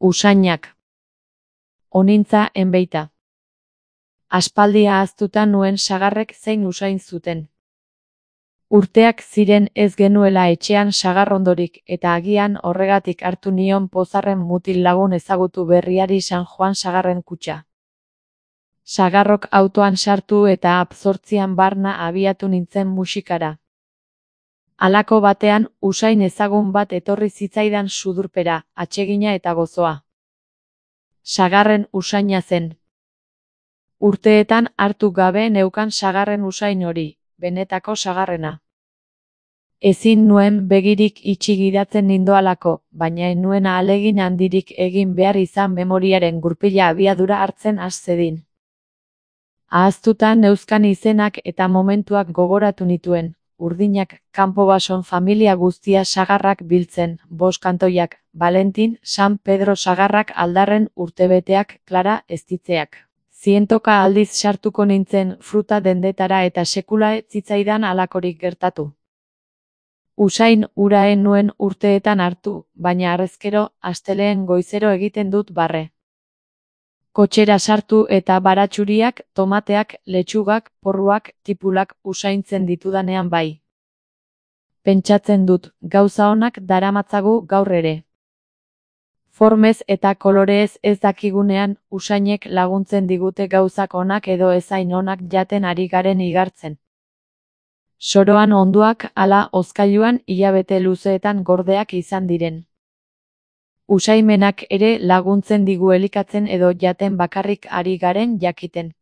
Usainak. Onintza enbeita. Aspaldi ahaztuta nuen sagarrek zein usain zuten. Urteak ziren ez genuela etxean sagarrondorik eta agian horregatik hartu nion pozarren mutil lagun ezagutu berriari San Juan sagarren kutxa. Sagarrok autoan sartu eta absortzian barna abiatu nintzen musikara. Halako batean usain ezagun bat etorri zitzaidan sudurpera, atsegina eta gozoa. Sagarren usaina zen. Urteetan hartu gabe neukan sagarren usain hori, benetako sagarrena. Ezin nuen begirik itxi gidatzen nindoalako, baina ez nuen ahalegin handirik egin behar izan memoriaren gurpila abiadura hartzen has zedin. Ahaztuta neuzkan izenak eta momentuak gogoratu nituen, urdinak, kanpo-bason familia guztia sagarrak biltzen, boskantoiak, Valentin, San Pedro sagarrak aldarren urtebeteak, Klara eztitzeak. Zientoka aldiz sartuko nintzen fruta dendetara eta sekula ez zitzaidan halakorik gertatu. Usain hura ez nuen urteetan hartu, baina harrezkero, astelehen goizero egiten dut barre. Kotxera sartu eta baratxuriak, tomateak, letxugak, porruak, tipulak usaintzen ditudanean bai. Pentsatzen dut, gauza onak daramatzagu gaur ere. Formez eta kolorez ez dakigunean, usainek laguntzen digute gauzak onak edo ezain onak jaten ari garen igartzen. Soroan onduak ala hozkailuan hilabete luzeetan gordeak izan diren. Usaimenak ere laguntzen digu elikatzen edo jaten bakarrik ari garen jakiten.